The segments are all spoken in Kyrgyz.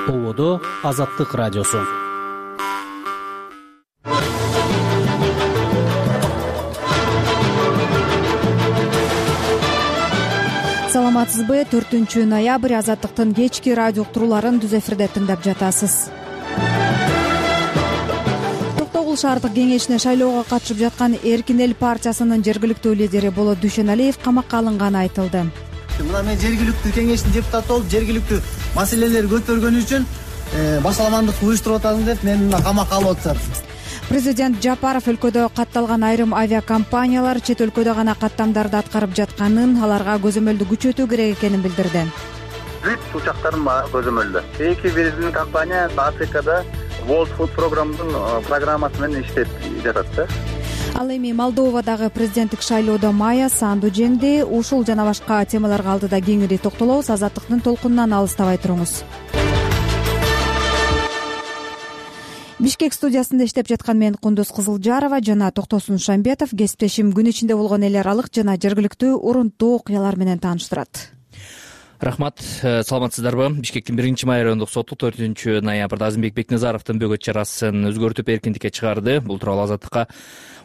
Ободо Азаттык радиосу. Саламатсызбы? 4-ноябрь Азаттыктын кечки радио уктурууларын түз эфирде тыңдап жатасыз. Токтогул шаардык кеңешине шайлоого катышып жаткан Эркин эл партиясынын жергиликтүү лидери Болот Дүйшөналиев камакка алынганы айтылды. Мына мен жергиликтүү кеңештин депутаты болуп, жергиликтүү маселелерди көтөргөн үчүн башаламандык уюштуруп атасың деп мени мына камакка алып атышат. Президент Жапаров өлкөдө катталган айрым авиакомпаниялар чет өлкөдө гана каттамдарды аткарып жатканын, аларга көзөмөлдү күчөтүү керек экенин билдирди. Бүт учактарын көзөмөлдө. Эки биздин компания Африкада World Food программасы менен иштеп жатат да. Ал эми Молдовадагы президенттик шайлоодо Майя Санду жеңди. Ушул жана башка темаларга алдыда кеңири токтолобуз. Азаттыктын толкунунан алыстабай туруңуз. Бишкек студиясында иштеп жаткан мен Кундуз Кызылжарова жана Токтосун Шамбетов кесиптешим күн ичинде болгон эл аралык жана жергиликтүү урунттуу окуялар менен тааныштырат. Рахмат, саламатсыздарбы? Бишкектин 1-май райондук соту 4-ноябрда Азимбек Бекназаровдун бөгөт чарасын өзгөртүп эркиндикке чыгарды. Бул тууралуу Азаттыкка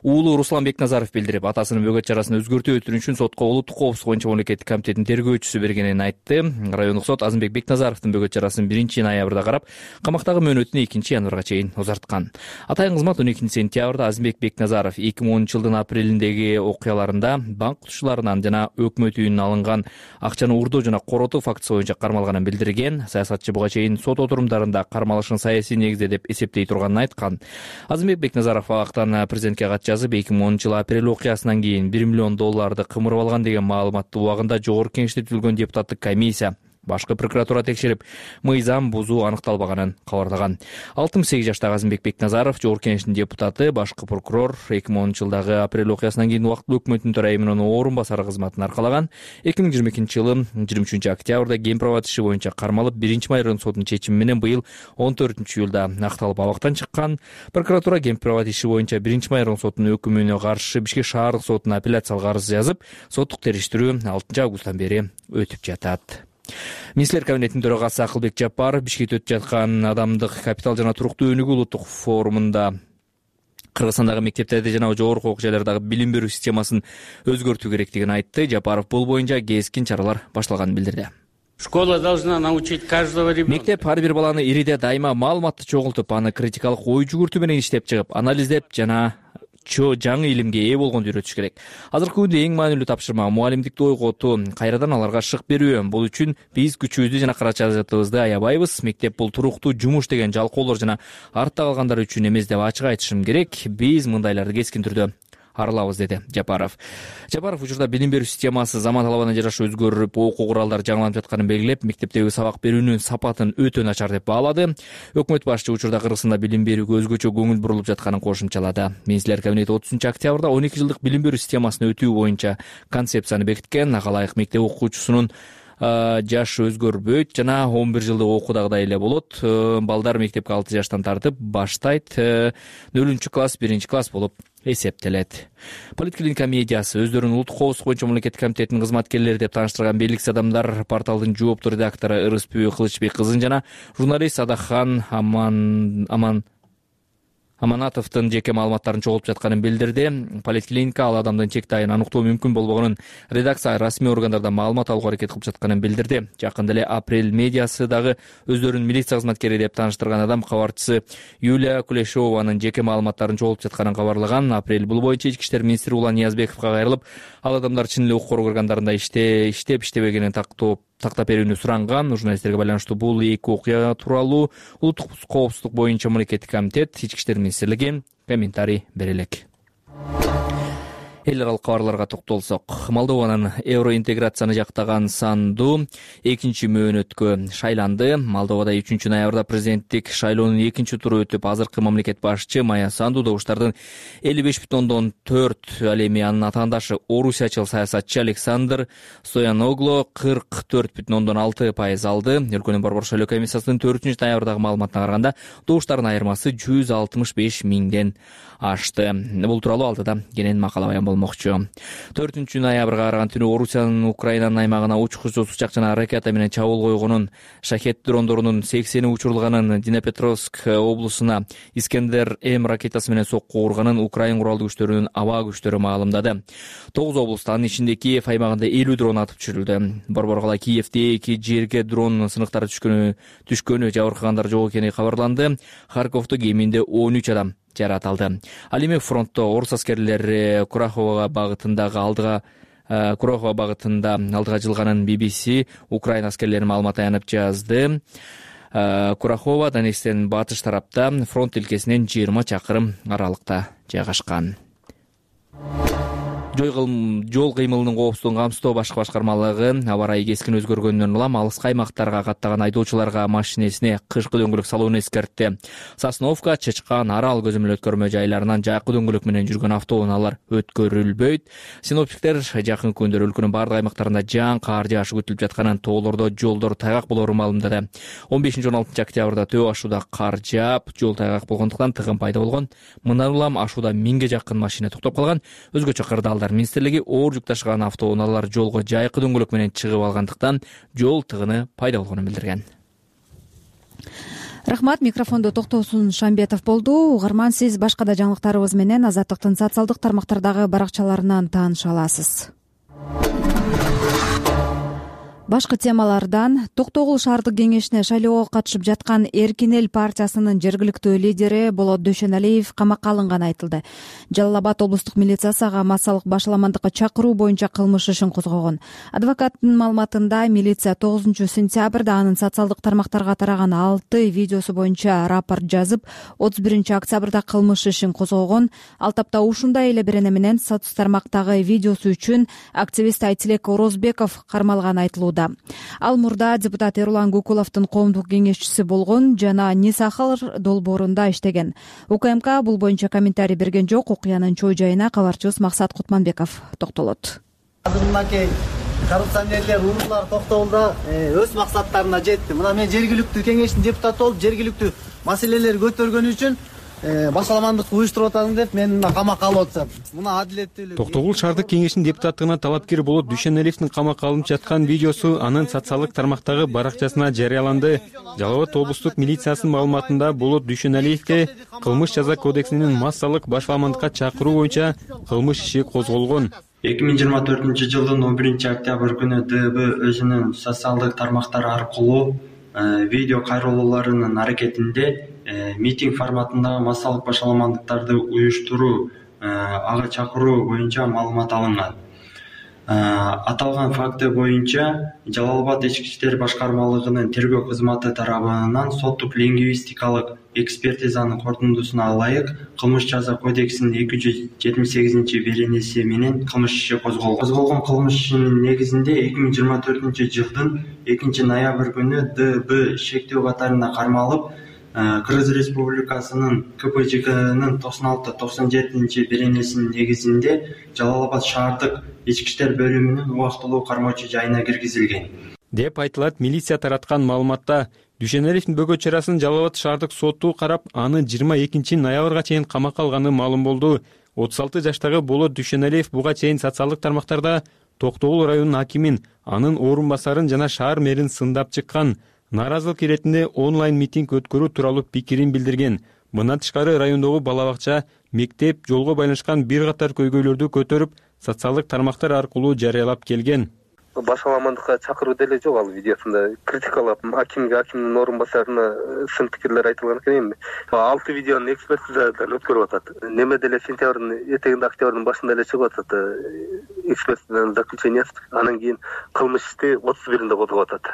уулу Руслан Бекназаров билдирип, атасынын бөгөт чарасын өзгөртүү өтүнүчүн сотко улуттук коопсуздук боюнча мамлекеттик комитеттин тергөөчүсү бергенин айтты. Райондук сот Азимбек Бекназаровдун бөгөт чарасын 1-ноябрда карап, камактагы мөөнөтүн 2-январга чейин узарткан. Атайын кызмат 12-сентябрда Азимбек Бекназаров 2010-жылдын апрелиндеги окуяларында банк кутушуларынан жана өкмөт үйүнөн алынган акчаны уурдоо жана коротуу фактысы боюнча кармалганын билдирген. Саясатчы буга чейин сот отурумдарында кармалышын саясий негизде деп эсептей турганын айткан. Азимбек Бекназаров абактан президентке кат жазып, 2010-жыл апрель окуясынан кийин $1 миллион кымырып алган деген маалыматты убагында жогорку кеңеште түзүлгөн депутаттык комиссия башкы прокуратура текшерип, мыйзам бузуу аныкталбаганын кабарлаган. 68 жаштагы Азимбек Бекназаров жогорку кеңештин депутаты, башкы прокурор 2010-жылдагы апрель окуясынан кийин убактылуу өкмөттүн төрайымынын орун басары кызматын аркалаган. 2022-жылы 23-октябрда Кен права иши боюнча кармалып, 1-май райондук сотунун чечими менен быйыл 14-июлда акталып абактан чыккан. Прокуратура Кен права иши боюнча 1-май райондук сотунун өкүмүнө каршы Бишкек шаардык сотуна апелляциялык арыз жазып, соттук териштирүү 6-августтан бери өтүп жатат. Министрлер кабинетинин төрагасы Акылбек Жапаров Бишкекте өтүп жаткан адамдык капитал жана туруктуу өнүгүү улуттук форумунда Кыргызстандагы мектептерде жана жогорку окуу жайлардагы билим берүү системасын өзгөртүү керектигин айтты. Жапаров бул боюнча кескин чаралар башталганын билдирди. Школа должна научить каждого ребенка. Мектеп ар бир баланы ириде дайыма маалыматты чогултуп, аны критикалык ой жүгүртүү менен иштеп чыгып, анализдеп жана жаңы илимге ээ болгонду үйрөтүш керек. Азыркы күндө эң маанилүү тапшырма мугалимдикти ойготуу, кайрадан аларга шык берүү. Бул үчүн биз күчүбүздү жана каражатыбызды аябайбыз. Мектеп бул туруктуу жумуш деген жалкоолор жана артта калгандар үчүн эмес деп ачык айтышым керек. Биз мындайларды кескин түрдө аралабыз, деди Жапаров. Жапаров учурда билим берүү системасы заман талабына жараша өзгөрүп, окуу куралдары жаңыланып жатканын белгилеп, мектептеги сабак берүүнүн сапатын өтө начар деп баалады. Өкмөт башчы учурда Кыргызстанда билим берүүгө өзгөчө көңүл бурулуп жатканын кошумчалады. Министрлер кабинети 30-октябрда 12 жылдык билим берүү системасын өтүү боюнча концепцияны бекиткен. Ага ылайык мектеп окуучусунун жашы өзгөрбөйт жана 11 жылдык окуудагыдай эле болот. Балдар мектепке 6 жаштан тартып баштайт. 0-класс, 1-класс болуп эсептелет. Политклиника медиасы өздөрүнүн улуттук коопсуздук боюнча мамлекеттик комитетинин кызматкерлери деп тааныштырган белгисиз адамдар порталдын жооптуу редактору Ырыспү Кылычбек кызын жана журналист Адахан Аманатовдун жеке маалыматтарын чогултуп жатканын билдирди. Политклиника ал адамдын чекти айын аныктоо мүмкүн болбогонун редакция расмий органдардан маалымат алууга аракет кылып жатканын билдирди. Жакында эле Апрель медиасы дагы өздөрүнүн милиция кызматкери деп тааныштырган адам кабарчысы Юлия Кулешованын жеке маалыматтарын чогултуп жатканын кабарлаган. Апрель бул боюнча ички иштер министри Улан Ниязбековго кайрылып, ал адамдар чын эле укук органдарында иштебегенин тактап берүүнү суранган. Журналисттерге байланыштуу бул эки окуя тууралуу улуттук коопсуздук боюнча мамлекеттик комитет, ички иштер министрлиги комментарий бере элек. Эл аралык кабарларга токтолсок, Молдованын евроинтеграцияны жактаган Санду 2-мөөнөткө шайланды. Молдовада 3-ноябрда президенттик шайлоонун 2-туру өтүп, азыркы мамлекет башчы Майя Санду добуштардын 55,4, ал эми анын атаандашы орусиячыл саясатчы Александр Стояноглу 44,6% алды. Өлкөнүн Борбор шайлоо комиссиясынын 4-ноябрдагы маалыматына караганда, добуштардын айырмасы 165 миңден ашты. Бул тууралуу алдыда кенен макала баян болмокчу. 4-ноябрга караган түнү Орусиянын Украинанын аймагына учкучсуз учак жана ракета менен чабуул койгонун, шахет дрондорунун 80 учурулганын, Днепропетровск облусуна Искендер М ракетасы менен сокку урганын Украин куралдуу күчтөрүнүн аба күчтөрү маалымдады. 9 облуста, анын ичинде Киев аймагында 50 дрон атып түшүрүлдү. Борборгала Киевде 2 жерге дрон сыныктары түшкөнү, жабыркагандар жок экени кабарланды. Харьковдо кеминде 13 адам жаратылды. Ал эми фронтто орус аскерлери Курахова багытында алдыга жылганын BBC Украина аскерлери маалымат аянып жазды. Курахова Донецктен батыш тарапта, фронт тилкесинен 20 чакырым аралыкта жайгашкан. Жол кыймылынын коопсуздугун камсыздоо башкы башкармалыгы аба ырайы кескин өзгөргөндөн улам алыскы аймактарга каттаган айдоочуларга машинесине кышкы дөңгөлөк салууну эскертти. Сосновка, Чычкан, Арал көзөмөл өткөрмө жайларынан жакы дөңгөлөк менен жүргөн автоунаалар өткөрүлбөйт. Синоптиктер жакын күндөрү өлкөнүн бардык аймактарында жаан кар жаашы күтүлүп жатканын, тоолордо жолдор тайгак болоорун маалымдады. 15-16 октябрда Төө ашууда кар жаап, жол тайгак болгондуктан тыгын пайда болгон. Мындан улам ашууда 1000ге жакын машина токтоп калган. Өзгөчө кырдаалдар министрлиги оор жүк ташыган автоунаалар жолго жайкы дөңгөлөк менен чыгып алгандыктан жол тыгыны пайда болгонун билдирген. Рахмат. Микрофондо Токтосун Шамбетов болду. Угарман, сиз башка да жаңылыктарыбыз менен Азаттыктын социалдык тармактардагы баракчаларынан тааныша аласыз. Башкы темалардан Токтогул шаардык кеңешине шайлоого катышып жаткан Эркин эл партиясынын жергиликтүү лидери Болот Дүйшөналиев камакка алынганы айтылды. Жалал Абад облустук милициясы ага массалык башаламандыкка чакыруу боюнча кылмыш ишин козгогон. Адвокаттын маалыматында милиция 9-сентябрда анын социалдык тармактарга тараган 6 видеосу боюнча рапорт жазып, 31-октябрда кылмыш ишин козгогон. Ал тапта ушундай эле берене менен соц тармактагы видеосу үчүн активист Айтилек Орозбеков кармалганы айтылууда. Ал мурда депутат Эрулан Гукуловдун коомдук кеңешчиси болгон жана Нисахар долбоорунда иштеген. УКМК бул боюнча комментарий берген жок. Окуянын чоо жайына кабарчыбыз Максат Кутманбеков токтолот. Мынакей коррупционерлер, уруулар Токтогулда өз максаттарына жетти. Мына мен жергиликтүү кеңештин депутаты болуп, жергиликтүү маселелерди көтөргөн үчүн башаламандык уюштуруп атасың деп мен камакка алып атышат. Мына адилеттүүлүк. Токтогул шаардык кеңешинин депутаттыгына талапкер Болот Дүйшөналиевдин камакка алынып жаткан видеосу анын социалдык тармактагы баракчасына жарыяланды. Жалал Абад облустук милициясынын маалыматында Болот Дүйшөналиевге кылмыш жаза кодексинин массалык башаламандыкка чакыруу боюнча кылмыш иши козголгон. 2024-жылдын 11-октябрь күнү ДБ өзүнүн социалдык тармактары аркылуу видео кайрылууларынын аракетинде митинг форматындагы массалык башаламандыктарды уюштуруу, ага чакыруу боюнча маалымат алынган. Аталган факты боюнча Жалал Абад ички иштер башкармалыгынын тергөө кызматы тарабынан соттук лингвистикалык экспертизанын корутундусуна ылайык кылмыш жаза кодексинин 278 беренеси менен кылмыш иши козголгон. Козголгон кылмыш ишинин негизинде 2024-жылдын 2-ноябрь күнү ДБ шектөө катарында кармалып, Кыргыз Республикасынын КПЖКнын 96-97 беренесинин негизинде Жалал Абад шаардык ички иштер бөлүмүнүн убактылуу кармоочу жайына киргизилген деп айтылат милиция тараткан маалыматта. Дүйшөналиевдин бөгөт чарасын Жалал Абад шаардык соту карап, аны 22-ноябрга чейин камакка алганы маалым болду. 36 жаштагы Болот Дүйшөналиев буга чейин социалдык тармактарда Токтогул районунун акимин, анын орун басарын жана шаар мэрин сындап чыккан. Нааразылык иретинде онлайн митинг өткөрүү тууралуу пикирин билдирген. Мындан тышкары райондогу бала бакча, мектеп, жолго байланышкан бир катар көйгөйлөрдү көтөрүп, социалдык тармактар аркылуу жарыялап келген. Башаламандыкка чакыруу деле жок ал видеосунда. Критикалап акимдин орун басарына сын пикирлер айтылган экен. 6 видеону экспертизадан өткөрүп атат. Неме деле сентябрдын этегинде, октябрдын башында эле чыгып атат экспертизанын заключениясы. Анан кийин кылмыш ишти 31-нде козгоп атат,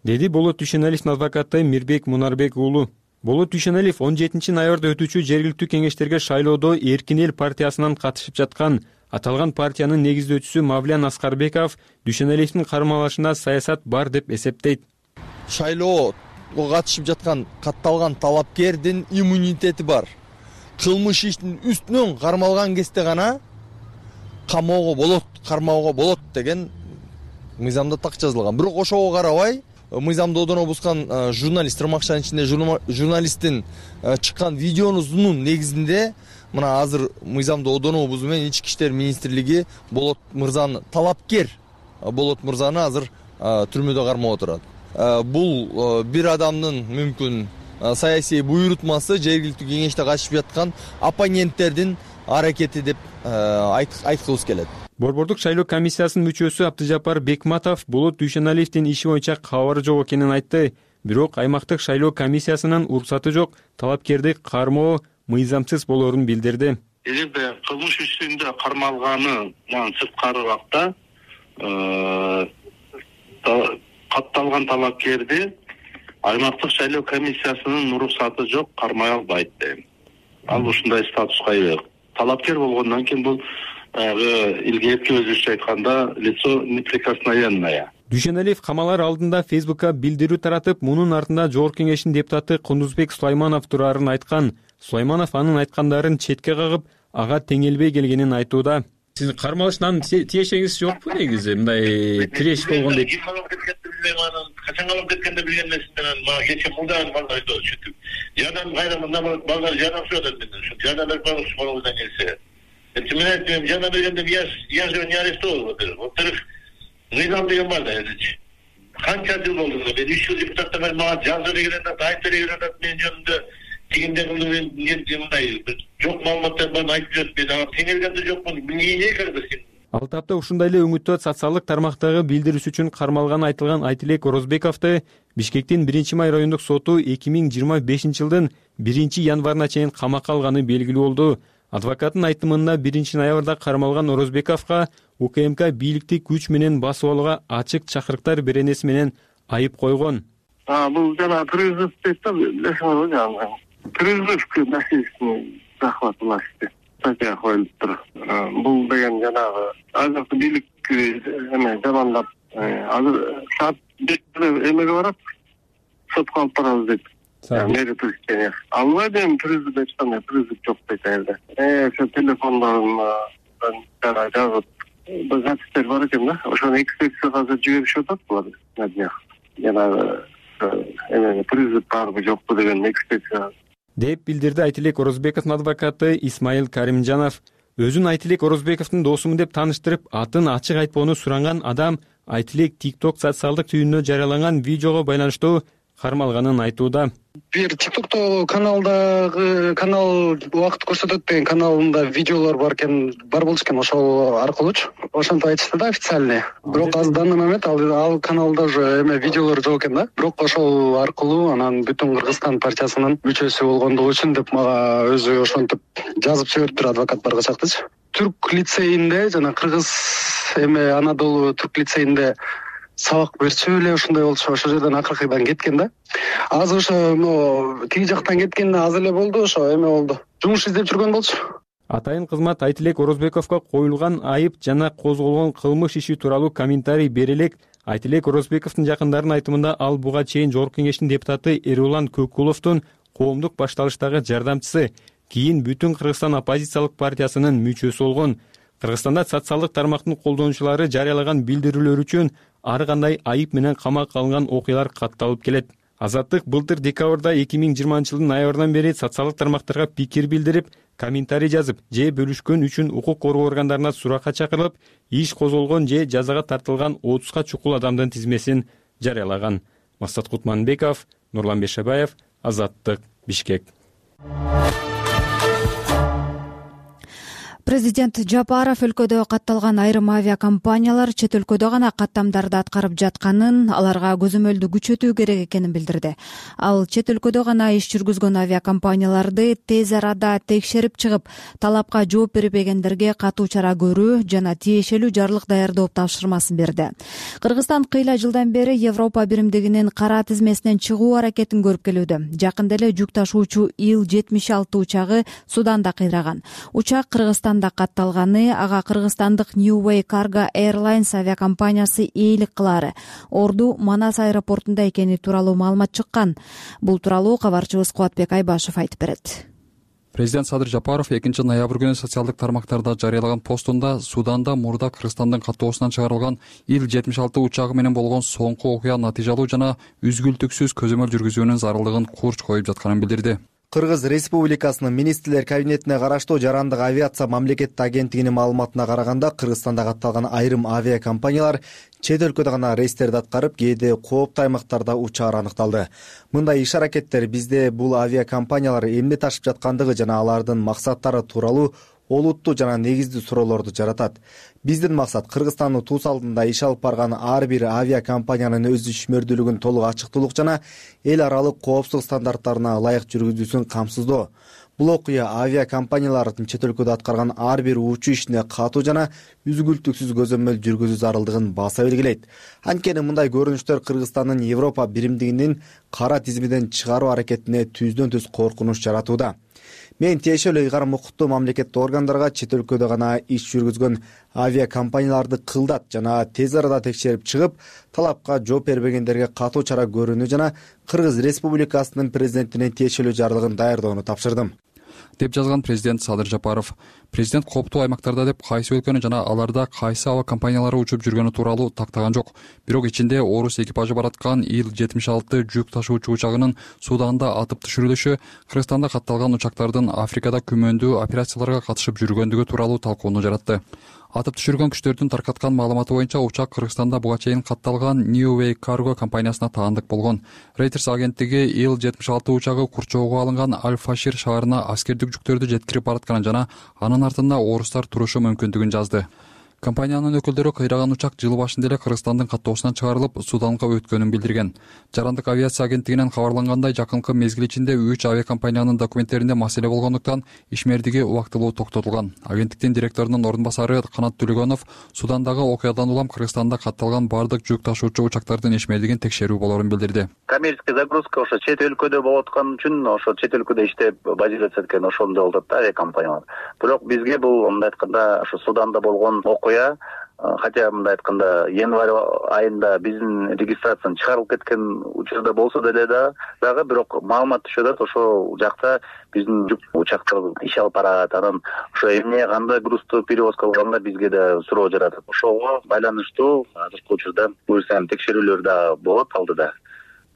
деди Болот Дүйшөналиевдин адвокаты Мирбек Мунарбек уулу. Болот Дүйшөналиев 17-ноябрда өтүүчү жергиликтүү кеңештерге шайлоодо Эркин эл партиясынан катышып жаткан. Аталган партиянын негиздөөчүсү Мавлян Аскарбеков Дүйшөналиевдин кармалышына саясат бар деп эсептейт. Шайлоого катышып жаткан катталган талапкердин иммунитети бар. Кылмыш иштин үстүнөн кармалган кезде гана камоого болот, кармоого болот деген мыйзамда так жазылган. Бирок ошого карабай мыйзамды одоно бускан журналист, ырмакчанын ичинде журналисттин чыккан видеонун негизинде мына азыр мыйзамды одонобуз менен ички иштер министрлиги Болот мырзаны талапкер Болот мырзаны азыр түрмөдө кармап отурат. Бул бир адамдын мүмкүн саясий буйрутмасы, жергиликтүү кеңеште катышып жаткан оппоненттердин аракети деп айткыбыз келет. Борбордук шайлоо комиссиясынын мүчөсү Абдыжапар Бекматов Болот Дүйшеналиевдин иши боюнча кабары жок экенин айтты. Бирок аймактык шайлоо комиссиясынын уруксаты жок, талапкерди кармоо мыйзамсыз болоорун билдирди. Эгерде кылмыш ишинде кармалганынан сырткары убакта катталган талапкерди аймактык шайлоо комиссиясынын уруксаты жок, кармай албайт дейм. Ал ушундай статуска ээ. Талапкер болгондон кийин бул илгерки өзүбүзчө айтканда лицо неприкосновенное. Дүйшеналиев камалар алдында Фейсбукка билдирүү таратып, мунун артында Жогорку Кеңештин депутаты Кундузбек Сулайманов турарын айткан. Сулайманов анын айткандарын четке кагып, ага теңелбей келгенин айтууда. Сиздин кармалыштан тиешеңиз жокпу негизи? Мындай тиреш болгондой. Качан калып кеткенде билген эмесмин. Мага кече мындан балдар айтып чүтүп. Жардам кайра мындан балдар жардам сұрады менен. Жардам берип коюңузчу колуңуздан келсе. Мен айттым, жардам бергенде я же не арестовал. Во-вторых, мыйзам деген бар да элчи. Канча жыл болду мен 3 жыл депутаттар менен мага жазып берген, айтып берген мен жөнүндө тигинде мындай жок маалыматтар барын айтып жүрөт. Мен ага теңелгенде жокмун. Эмне кереги? Ал тапта ушундай эле өңүттө социалдык тармактагы билдирүүсү үчүн кармалганы айтылган Айтилек Орозбековду Бишкектин 1-май райондук соту 2025-жылдын 1-январына чейин камакка алганы белгилүү болду. Адвокаттын айтымында 1-ноябрда кармалган Орозбековго УКМК бийликти күч менен басып алууга ачык чакырыктар беренеси менен айып койгон. Бул жана призыв дейт да, билесиңерби жана. Призыв маселесин захватылашты. Статья коюлуп тур. Бул деген жанагы азыркы бийлик замандап азыр саат 5-те эмеге барат, сотко алып барабыз дейт. Мэри Туркия. Албай дейм, призыв эчкандай призыв жок дейт эле. Ошо телефондон жазып запистер бар экен да. Ошону экспертизага азыр жиберишип атат булар. Жанагы призыв барбы жокпу деген экспертиза деп билдирди Айтилек Орозбековдун адвокаты Исмаил Каримжанов. Өзүн Айтилек Орозбековдун досумун деп тааныштырып, атын ачык айтпоону суранган адам Айтилек TikTok социалдык түйүнүнө жарыялаган видеого байланыштуу кармалганын айтууда. Бир TikTok'то канал убакыт көрсөтөт деген каналында видеолор бар экен, бар болчу экен, ошол аркылуучу. Ошентип айтышты да официальный. Бирок азыр данный момент ал каналда уже видеолор жок экен да. Бирок ошол аркылуу анан бүтүн Кыргызстан партиясынын мүчөсү болгондугу үчүн деп мага өзү ошентип жазып жибериптир адвокат баргачактычы. Түрк лицейинде жана Кыргыз Анадолу Түрк лицейинде сабак берчү эле ушундай болчу. Ошол жерден акыркыдан кеткен да. Азыр ошо тиги жактан кеткенде аз эле болду, ошо болду. Жумуш издеп жүргөн болчу. Атайын кызмат Айтилек Орозбековго коюлган айып жана козголгон кылмыш иши тууралуу комментарий бере элек. Айтилек Орозбековдун жакындарынын айтымында ал буга чейин Жогорку Кеңештин депутаты Эрулан Көккуловдун коомдук башталыштагы жардамчысы, кийин бүтүн Кыргызстан оппозициялык партиясынын мүчөсү болгон. Кыргызстанда социалдык тармактын колдонуучулары жарыялаган билдирүүлөр үчүн ар кандай айып менен камакка алынган окуялар катталып келет. Азаттык былтыр декабрда 2020-жылдын ноябрынан бери социалдык тармактарга пикир билдирип, комментарий жазып же бөлүшкөн үчүн укук коргоо органдарына суракка чакырылып, иш козголгон же жазага тартылган 30га чукул адамдын тизмесин жарыялаган. Максат Кутманбеков, Нурлан Бешебаев, Азаттык, Бишкек. Президент Жапаров өлкөдө катталган айрым авиакомпаниялар чет өлкөдө гана каттамдарды аткарып жатканын, аларга көзөмөлдү күчөтүү керек экенин билдирди. Ал чет өлкөдө гана иш жүргүзгөн авиакомпанияларды тез арада текшерип чыгып, талапка жооп бербегендерге катуу чара көрүү жана тиешелүү жарлык даярдоо тапшырмасын берди. Кыргызстан кыйла жылдан бери Европа биримдигинин кара тизмесинен чыгуу аракетин көрүп келүүдө. Жакында эле жүк ташуучу Ил-76 учагы Суданда кыйраган. Учак Кыргызстан катталганы, ага кыргызстандык New Way Cargo Airlines авиакомпаниясы ээлик кылаары. Орду Манас аэропортунда экени тууралуу маалымат чыккан. Бул тууралуу кабарчыбыз Кубатбек Айбашев айтып берет. Президент Садыр Жапаров 2-ноябрь күнү социалдык тармактарда жарыялаган постунда Суданда мурда Кыргызстандын каттоосунан чыгарылган Ил-76 учагы менен болгон соңку окуя натыйжалуу жана үзгүлтүксүз көзөмөл жүргүзүүнүн зарылдыгын курч коюп жатканын билдирди. Кыргыз Республикасынын министрлер кабинетине караштуу жарандык авиация мамлекеттик агенттигинин маалыматына караганда, Кыргызстанда катталган айрым авиакомпаниялар чет өлкөдө гана рейстерди аткарып, кээде кооптуу аймактарда учаар аныкталды. Мындай иш-аракеттер бизде бул авиакомпаниялар эмне ташып жаткандыгы жана алардын максаттары тууралуу олуттуу жана негиздүү суроолорду жаратат. Биздин максат Кыргызстандын туус алдында иш алып барган ар бир авиакомпаниянын өз ишмердүүлүгүн толук ачыктуулук жана эл аралык коопсуздук стандарттарына ылайык жүргүзүүсүн камсыздоо. Бул окуя авиакомпаниялардын чет өлкөдө аткарган ар бир учуу ишине катуу жана үзгүлтүксүз көзөмөл жүргүзүү зарылдыгын баса белгилейт. Анткени мындай көрүнүштөр Кыргызстандын Европа биримдигинин кара тизмеден чыгаруу аракетине түздөн-түз коркунуч жаратууда. Мен тиешелүү ыйгарым укуктуу мамлекеттик органдарга чет өлкөдө гана иш жүргүзгөн авиакомпанияларды кылдат жана тез арада текшерип чыгып, талапка жооп бербегендерге катуу чара көрүүнү жана Кыргыз Республикасынын президентинин тиешелүү жарлыгын даярдоону тапшырдым, деп жазган президент Садыр Жапаров. Президент кооптуу аймактарда деп кайсы өлкөнү жана аларда кайсы аба компаниялары учуп жүргөнү тууралуу тактаган жок. Бирок ичинде орус экипажы бараткан Ил-76 жүк ташуучу учагынын Суданда атып түшүрүлүшү, Кыргызстанда катталган учактардын Африкада күмөндүү операцияларга катышып жүргөндүгү тууралуу талкууну жаратты. Атып түшүргөн күчтөрдүн таркаткан маалыматы боюнча учак Кыргызстанда буга чейин катталган New Way Cargo компаниясына таандык болгон. Reuters агенттиги Ил-76 учагы курчоого алынган Аль-Фашир шаарына аскердик жүктөрдү жеткирип баратканын жана анын артында орустар турушу мүмкүндүгүн жазды. Компаниянын өкүлдөрү кыйраган учак жыл башында эле Кыргызстандын каттоосунан чыгарылып, Суданга өткөнүн билдирген. Жарандык авиация агенттигинен кабарлангандай, жакынкы мезгил ичинде 3 авиакомпаниянын документтеринде маселе болгондуктан ишмердиги убактылуу токтотулган. Агенттиктин директорунун орун басары Канат Төлөгөнов Судандагы окуядан улам Кыргызстанда катталган бардык жүк ташуучу учактардын ишмердигин текшерүү болорун билдирди. Коммерческий загрузка ошо чет өлкөдө болуп аткан үчүн, ошо чет өлкөдө иштеп базироваться эткен ошондой болуп атат авиакомпаниялар. Бирок бизге бул мындай айтканда ошо Суданда болгон окуя, хотя мындай айтканда январь айында биздин регистрациядан чыгарылып кеткен учурда болсо деле дагы бирок маалымат түшүп атат, ошол жакта биздин жүк учактар иш алып барат, анан ошо эмне кандай грузду перевозка кылганда бизге да суроо жаратат. Ошого байланыштуу азыркы учурда буюрсам текшерүүлөр да болот алдыда.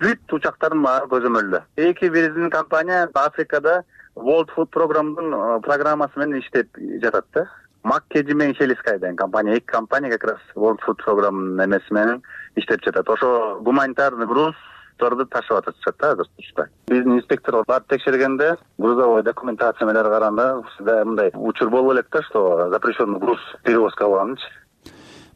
Бүт учактардын баары көзөмөлдө. Эки биздин компания Африкада World Food программасы менен иштеп жатат да. Маккеджи менен Шелискай деген компания, эки компания как раз World Food программанын эмеси менен иштеп жатат. Ошо гуманитарный груздарды ташып атышат да азыр учурда. Биздин инспекторлор барып текшергенде, грузовой документация менен караганда, мындай учур болуп элек да, что запрещенный груз перевозка кылганычы.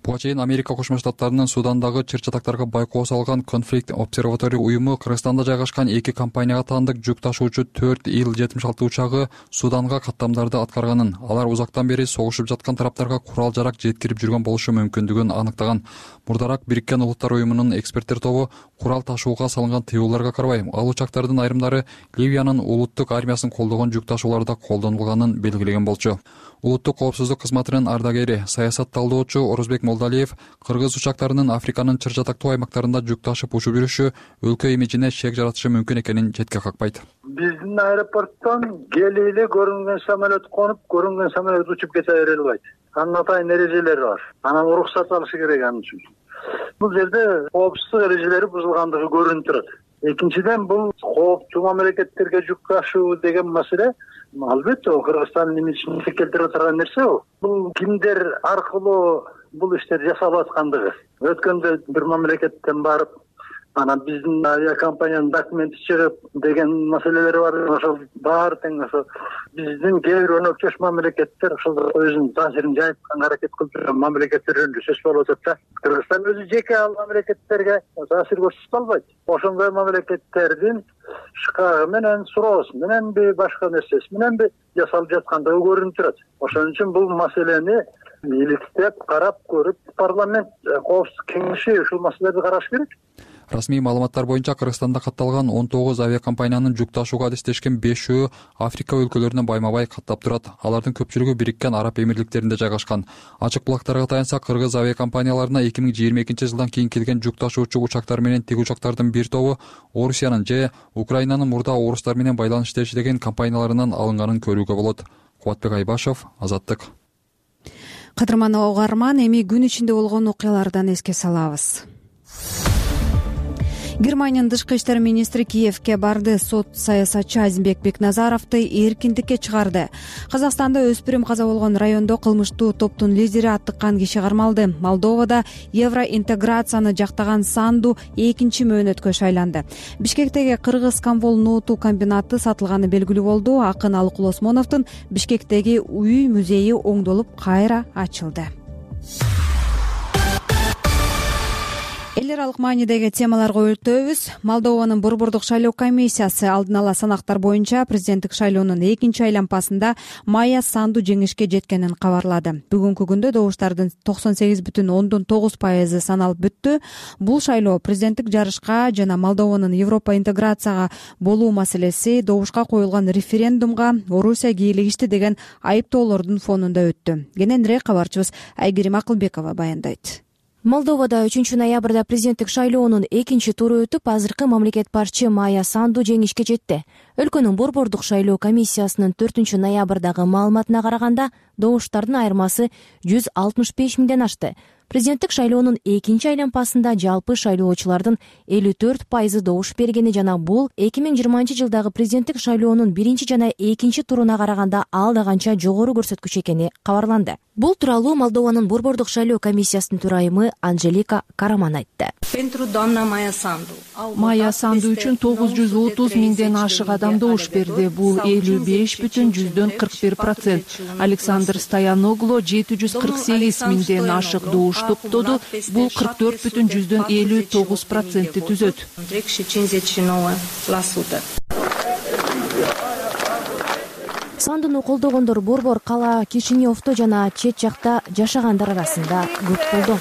Буга чейин Америка Кошмо Штаттарынын Судандагы чыр-чатактарга байкоо салган Conflict Observatory уюму Кыргызстанда жайгашкан эки компанияга таандык жүк ташуучу 4 Ил-76 учагы Суданга каттамдарды аткарганын, алар узактан бери согушуп жаткан тараптарга курал-жарак жеткирип жүргөн болушу мүмкүндүгүн аныктаган. Мурдараак Бириккен Улуттар уюмунун эксперттер тобу курал ташууга салынган тыюуларга карабай, ал учактардын айрымдары Ливиянын улуттук армиясын колдогон жүк ташууларда колдонулганын белгилеген болчу. Улуттук коопсуздук кызматынын ардагери, саясат талдоочу Орозбек Молдалиев кыргыз учактарынын Африканын чыр-чатактуу аймактарында жүк ташып учуп жүрүшү өлкө имиджине шек жаратышы мүмкүн экенин четке какпайт. Биздин аэропорттон келип эле көрүнгөн самолет конуп, көрүнгөн самолет учуп кете бере албайт. Анын атайын эрежелери бар. Анан уруксат алышы керек анын үчүн. Бул жерде коопсуздук эрежелери бузулгандыгы көрүнүп турат. Экинчиден, бул кооптуу мамлекеттерге жүк ташуу деген маселе албетте Кыргызстандын имиджин келтирип турган нерсе. Бул кимдер аркылуу бул иштер жасалып аткандыгы. Өткөндө бир мамлекеттен барып, анан биздин авиакомпаниянын документи чыгып деген маселелер бар. Ошол баары тең ошо биздин кээ бир өнөкчөш мамлекеттер ошол өзүнүн таасирин жайып аракет кылып жүргөн мамлекеттер жөнүндө сөз болуп атат да. Кыргызстан өзү жеке ал мамлекеттерге таасир көрсөтө албайт. Ошондой мамлекеттердин шкагы менен, суроосу мененби, башка нерсеси мененби жасалып жаткандыгы көрүнүп турат. Ошон үчүн бул маселени иликтеп карап көрүп, парламент коопсуздук кеңеши ушул маселелерди караш керек. Расмий маалыматтар боюнча Кыргызстанда катталган 19 авиакомпаниянын жүк ташууга адистешкен 5-өө Африка өлкөлөрүнө байма-бай каттап турат. Алардын көпчүлүгү Бириккен Араб Эмирликтеринде жайгашкан. Ачык булактарга таянса, кыргыз авиакомпанияларына 2022 жылдан кийин келген жүк ташуучу учактар менен тик учактардын бир тобу Орусиянын же Украинанын мурда орустар менен байланышта иштеген компанияларынан алынганын көрүүгө болот. Кубатбек Айбашев, Азаттык. Кадырман угарман, эми күн ичинде болгон окуялардан эске салабыз. Германиянын тышкы иштер министри Киевке барды. Сот саясатчы Азимбек Бекназаровду эркиндикке чыгарды. Казакстанда өспүрүм каза болгон райондо кылмыштуу топтун лидери аттыккан киши кармалды. Молдовада евроинтеграцияны жактаган Санду экинчи мөөнөткө шайланды. Бишкектеги Кыргыз Камвол ноуту комбинаты сатылганы белгилүү болду. Акын Алыкул Осмоновдун Бишкектеги үй музейи оңдолуп кайра ачылды. Эл аралык маанидеги темаларга өтөбүз. Молдованын Борбордук шайлоо комиссиясы алдын ала санактар боюнча президенттик шайлоонун экинчи айланпасында Майя Санду жеңишке жеткенин кабарлады. Бүгүнкү күндө добуштардын 98,9% саналып бүттү. Бул шайлоо президенттик жарышка жана Молдованын Европа интеграцияга болуу маселеси добушка коюлган референдумга Орусия кийлигишти деген айыптоолордун фонунда өттү. Кененирээк кабарчыбыз Айгерим Акылбекова баяндайт. Молдовада 3 ноябрда президенттик шайлоонун экинчи туру өтүп, азыркы мамлекет башчы Майя Санду жеңишке жетти. Өлкөнүн Борбордук шайлоо комиссиясынын 4 ноябрдагы маалыматына караганда, добуштардын айырмасы 165 миңден ашты. Президенттик шайлоонун экинчи айланпасында жалпы шайлоочулардын 54% добуш бергени жана бул 2020-жылдагы президенттик шайлоонун биринчи жана экинчи туруна караганда алда канча жогору көрсөткүч экени кабарланды. Бул тууралуу Молдованын Борбордук шайлоо комиссиясынын төрайымы Анжелика Караман айтты. Майя Санду үчүн 930 миңден ашык адам добуш берди. Бул 55,41%. Александр Стояноглу 748 миңден ашык добуш топтоду. Бул 44,59% түзөт. Сандуну колдогондор Борбор, кала, Кишиневдо жана чет жакта жашагандар арасында көп болду.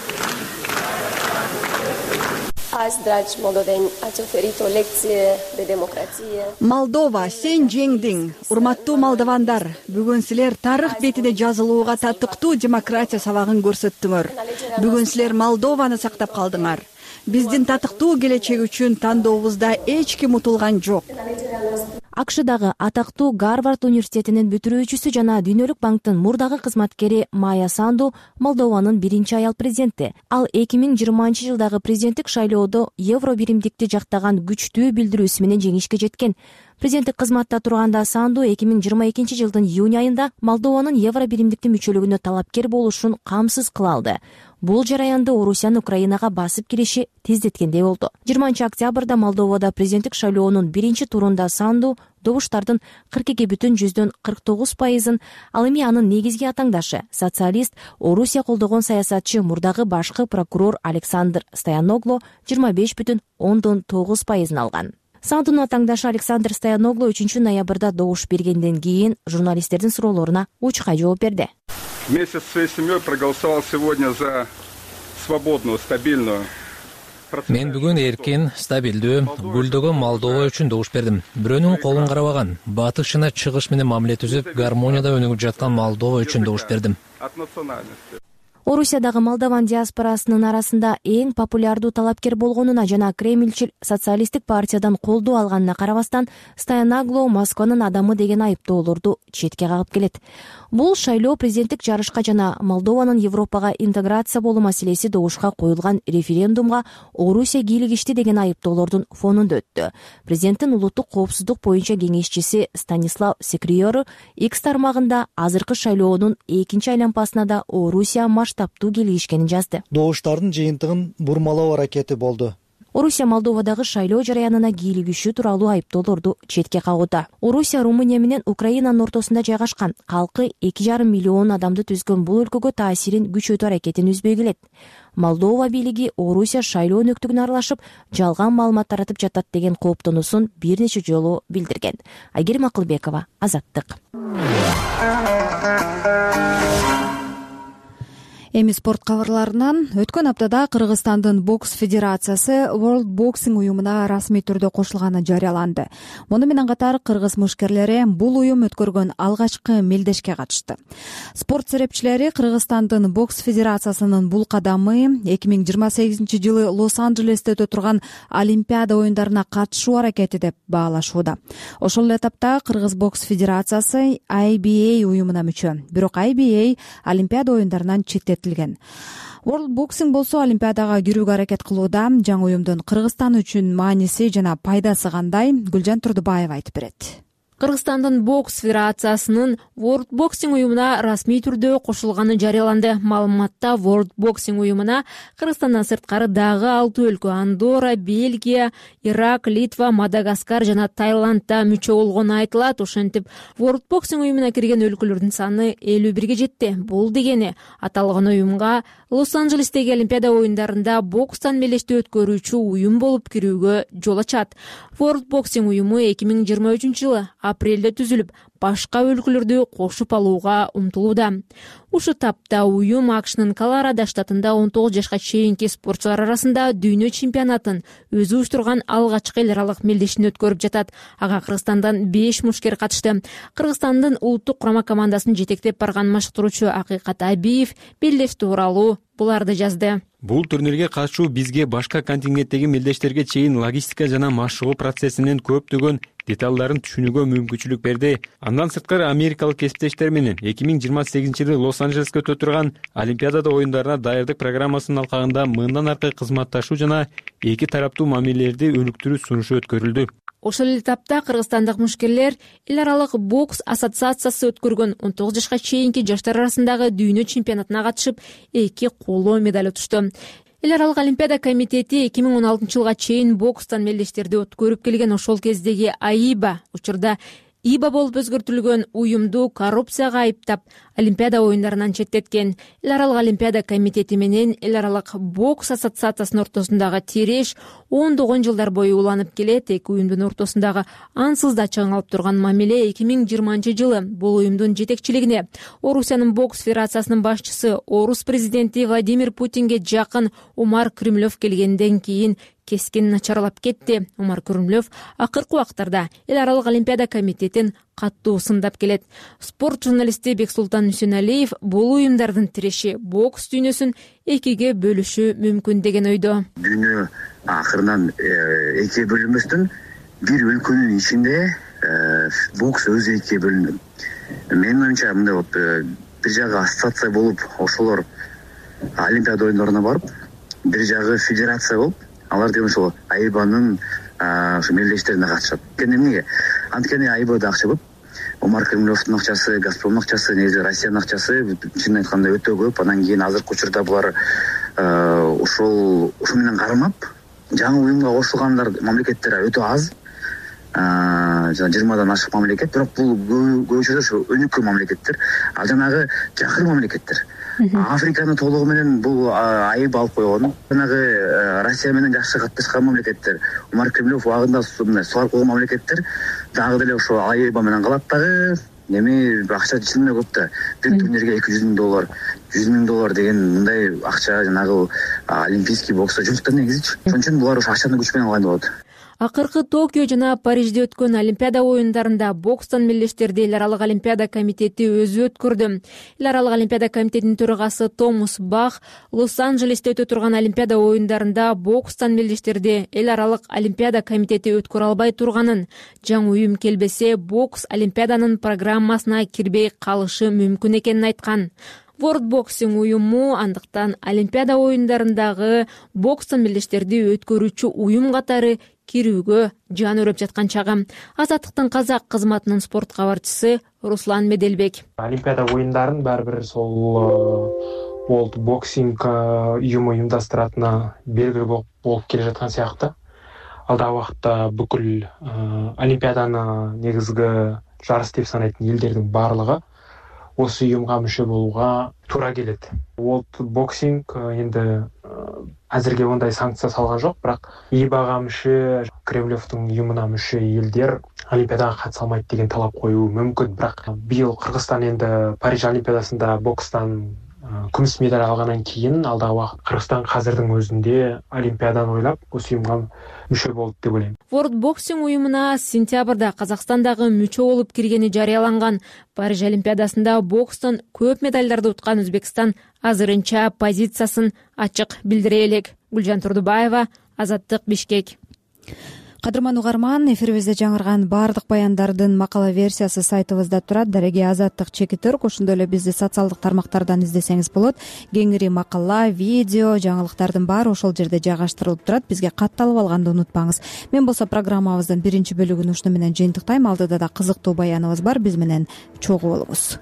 Молдова, сен жеңдиң. Урматтуу молдовандар, бүгүн силер тарых бетине жазылууга татыктуу демократия сабагын көрсөттүңөр. Бүгүн силер Молдованы сактап калдыңар. Биздин татыктуу келечек үчүн тандообузда эч ким утулган жок. АКШдагы атактуу Гарвард университетинин бүтүрүүчүсү жана Дүйнөлүк банктын мурдагы кызматкери Майя Санду Молдованын биринчи аял президенти. Ал 2020-жылдагы президенттик шайлоодо евро биримдикти жактаган күчтүү билдирүүсү менен жеңишке жеткен. Президенттик кызматта турганда Санду 2022-жылдын июнь айында Молдованын евро биримдикти мүчөлүгүнө талапкер болушун камсыз кыла алды. Бул жараянды Орусиянын Украинага басып кириши тездеткендей болду. 20-октябрда Молдовада президенттик шайлоонун биринчи турунда Санду добуштардын 42,49%, ал эми анын негизги атаңдашы, социалист, Орусия колдогон саясатчы мурдагы башкы прокурор Александр Стояноглу 25,9% алган. Сандунун атаңдашы Александр Стояноглу 3 ноябрда добуш бергенден кийин журналисттердин суроолоруна учкай жооп берди. Вместе со своей семьей проголосовал сегодня за свободную, стабильную. Мен бүгүн эркин, стабилдүү, гүлдөгөн Молдова үчүн добуш бердим. Бирөөнүн колун карабаган, батыш жана чыгыш менен мамиле түзүп, гармонияда өнүгүп жаткан Молдова үчүн добуш бердим. От национальности. Орусиядагы молдован диаспорасынын арасында эң популярдуу талапкер болгонуна жана Кремльчил социалисттик партиядан колдоо алганына карабастан, Стояноглу Москванын адамы деген айыптоолорду четке кагып келет. Бул шайлоо президенттик жарышка жана Молдованын Европага интеграция болуу маселеси добушка коюлган референдумга Орусия кийлигишти деген айыптоолордун фонунда өттү. Президенттин улуттук коопсуздук боюнча кеңешчиси Станислав Секриору X тармагында азыркы шайлоонун экинчи айланпасына да Орусия масштабтуу кийлигишкенин жазды. Добуштардын жыйынтыгын бурмалоо аракети болду. Орусия Молдовадагы шайлоо жараянына кийлигишүү тууралуу айыптоолорду четке кагууда. Орусия Румыния менен Украинанын ортосунда жайгашкан, калкы 2,5 миллион адамды түзгөн бул өлкөгө таасирин күчөтүү аракетин үзбөй келет. Молдова бийлиги Орусия шайлоо өнөктүгүнө аралашып, жалган маалымат таратып жатат деген кооптонуусун бир нече жолу билдирген. Айгерим Акылбекова, Азаттык. Эми спорт кабарларынан өткөн аптада Кыргызстандын бокс федерациясы World Boxing уюмуна расмий түрдө кошулганы жарыяланды. Муну менен катар кыргыз мушкерлери бул уюм өткөргөн алгачкы мелдешке катышты. Спорт серепчилери Кыргызстандын бокс федерациясынын бул кадамы 2028-жылы Лос-Анджелесте өтө турган Олимпиада оюндарына катышуу аракети деп баалашууда. Ошол эле этапта Кыргыз бокс федерациясы IBA уюмуна мүчө. Бирок IBA Олимпиада оюндарынан четтетилген. World Boxing болсо Олимпиадага кирүүгө аракет кылууда. Жаңы уюмдун Кыргызстан үчүн мааниси жана пайдасы кандай? Гүлжан Турдубаева айтып берет. Кыргызстандын бокс федерациясынын World Boxing уюмуна расмий түрдө кошулганы жарыяланды. Маалыматта World Boxing уюмуна Кыргызстандан сырткары дагы 6 өлкө — Андорра, Бельгия, Ирак, Литва, Мадагаскар жана Таиландда мүчө болгону айтылат. Ошентип World Boxing уюмуна кирген өлкөлөрдүн саны 51 жетти. Бул дегени аталган уюмга Лос-Анджелестеги Олимпиада оюндарында бокстан мелешти өткөрүүчү уюм болуп кирүүгө жол ачат. World Boxing уюму 2023 жылы апрелде түзүлүп, башка өлкөлөрдү кошуп алууга умтулууда. Ушу тапта уюм АКШнын Колорадо штатында 19 жашка чейинки спортчулар арасында дүйнө чемпионатын өзү уюштурган алгачкы эл аралык мелдешин өткөрүп жатат. Ага Кыргызстандан 5 мушкер катышты. Кыргызстандын улуттук курама командасын жетектеп барган машыктыруучу Акыйкат Абиев белдеш тууралуу буларды жазды. Бул турнирге катышуу бизге башка контингенттеги мелдештерге чейин логистика жана машыгуу процессинин көптөгөн деталдарын түшүнүүгө мүмкүнчүлүк берди. Андан сырткары америкалык кесиптештер менен 2028-жылы Лос-Анджелеске өтө турган Олимпиада оюндарына даярдык программасынын алкагында мындан аркы кызматташуу жана эки тараптуу мамилелерди өнүктүрүү сунушу өткөрүлдү. Ошол эле тапта кыргызстандык мушкерлер эл аралык бокс ассоциациясы өткөргөн 19 жашка чейинки жаштар арасындагы дүйнө чемпионатына катышып, 2 коло медаль утушту. Эл аралык Олимпиада комитети 2016 жылга чейин бокстан мелдештерди өткөрүп келген. Ошол кездеги АИБА, учурда ИБА болуп өзгөртүлгөн уюмду коррупцияга айыптап, Олимпиада оюндарынан четтеткен. Эл аралык Олимпиада комитети менен эл аралык бокс ассоциациясынын ортосундагы тереш ондогон жылдар бою уланып келет. Эки уюмдун ортосундагы ансыз да чыңалып турган мамиле 2020 жылы бул уюмдун жетекчилигине Орусиянын бокс федерациясынын башчысы, Орус президенти Владимир Путинге жакын Умар Крымлев келгенден кийин кескин начарлап кетти. Умар Крымлев акыркы убактарда эл аралык Олимпиада комитетин каттуу сындап келет. Спорт журналисти Бексултан Үсөнәлиев бул уюмдардын тиреши бокс дүйнөсүн экиге бөлүшү мүмкүн деген ойдо. Дүйнө акырынан экиге бөлүнбөстөн бир өлкөнүн ичинде бокс өзү экиге бөлүнөт. Менин оюмча мындай болуп, бир жагы ассоциация болуп, ошолор Олимпиада оюндарына барып, бир жагы федерация болуп, алар деген ошол АИБАнын ошо мелдештерине катышат. Эмнеге? Анткени АИБАда акча көп. Умар Крымлевдун акчасы, Газпромдун акчасы, негизи Россиянын акчасы чын айтканда өтө көп. Анан кийин азыркы учурда булар ошол менен кармап, жаңы уюмга кошулгандар мамлекеттер өтө аз. 20дан ашык мамлекет, бирок бул көбүнчө ошо өнүккөн мамлекеттер, ал жанагы жакын мамлекеттер. Африканы толугу менен бул АИБА алып койгон. Жанагы Россия менен жакшы катташкан мамлекеттер, Умар Кремлев убагында сугарып койгон мамлекеттер дагы деле ошо АИБА менен калат дагы. Эми акча чын эле көп да. Бир турнирге $200,000, $100,000 деген мындай акча жанагы олимпийский бокста жок да негизичи. Ошон үчүн булар ошо акчаны күч менен алган болот. Акыркы Токио жана Парижде өткөн Олимпиада оюндарында бокстан мелдештерди эл аралык Олимпиада комитети өзү өткөрдү. Эл аралык Олимпиада комитетинин төрагасы Томас Бах Лос-Анджелесте өтө турган Олимпиада оюндарында бокстан мелдештерди эл аралык Олимпиада комитети өткөрө албай турганын, жаңы уюм келбесе бокс Олимпиаданын программасына кирбей калышы мүмкүн экенин айткан. World Boxing уюму андыктан Олимпиада оюндарындагы бокстан мелдештерди өткөрүүчү уюм катары кирүүгө жан өрөп жаткан чагы. Азаттыктын казак кызматынын спорт кабарчысы Руслан Меделбек. Олимпиада оюндарын баары бир сол World Boxing уюму уюмдастыратына белгилүү болуп келе жаткан сыяктуу. Алдағы убакытта бүкүл Олимпиаданы негизги жарыс деп санайтын элдердин баардыгы осы уюмга мүчө болууга туура келет. World Boxing енді азырге ондай санкция салган жок, бирок ИБАга мүчө, Кремлевдин уюмуна мүчө элдер Олимпиадага катыша алмайт деген талап коюу мүмкүн. Бирок быйыл Кыргызстан енді Париж Олимпиадасында бокстан күмүс медаль алгандан кийин алдағы убакыт Кыргызстан азырдын өзүндө Олимпиаданы ойлоп осы уюмга мүчө болду деп ойлойм. World Boxing уюмуна сентябрда Казакстандагы мүчө болуп киргени жарыяланган. Париж Олимпиадасында бокстан көп медалдарды уткан Өзбекстан азырынча позициясын ачык билдире элек. Гүлжан Турдубаева, Азаттык, Бишкек. Кадырман угарман, эфирибизде жаңырган баардык баяндардын макала версиясы сайтыбызда турат. Дареги Азаттык чеки Түрк. Ошондой эле бизди социалдык тармактардан издесеңиз болот. Кеңири макала, видео, жаңылыктардын баары ошол жерде жайгаштырылып турат. Бизге катталып алганды унутпаңыз. Мен болсо программабыздын биринчи бөлүгүн ушуну менен жыйынтыктайм. Алдыда да кызыктуу баяныбыз бар. Биз менен чогуу болуңуз.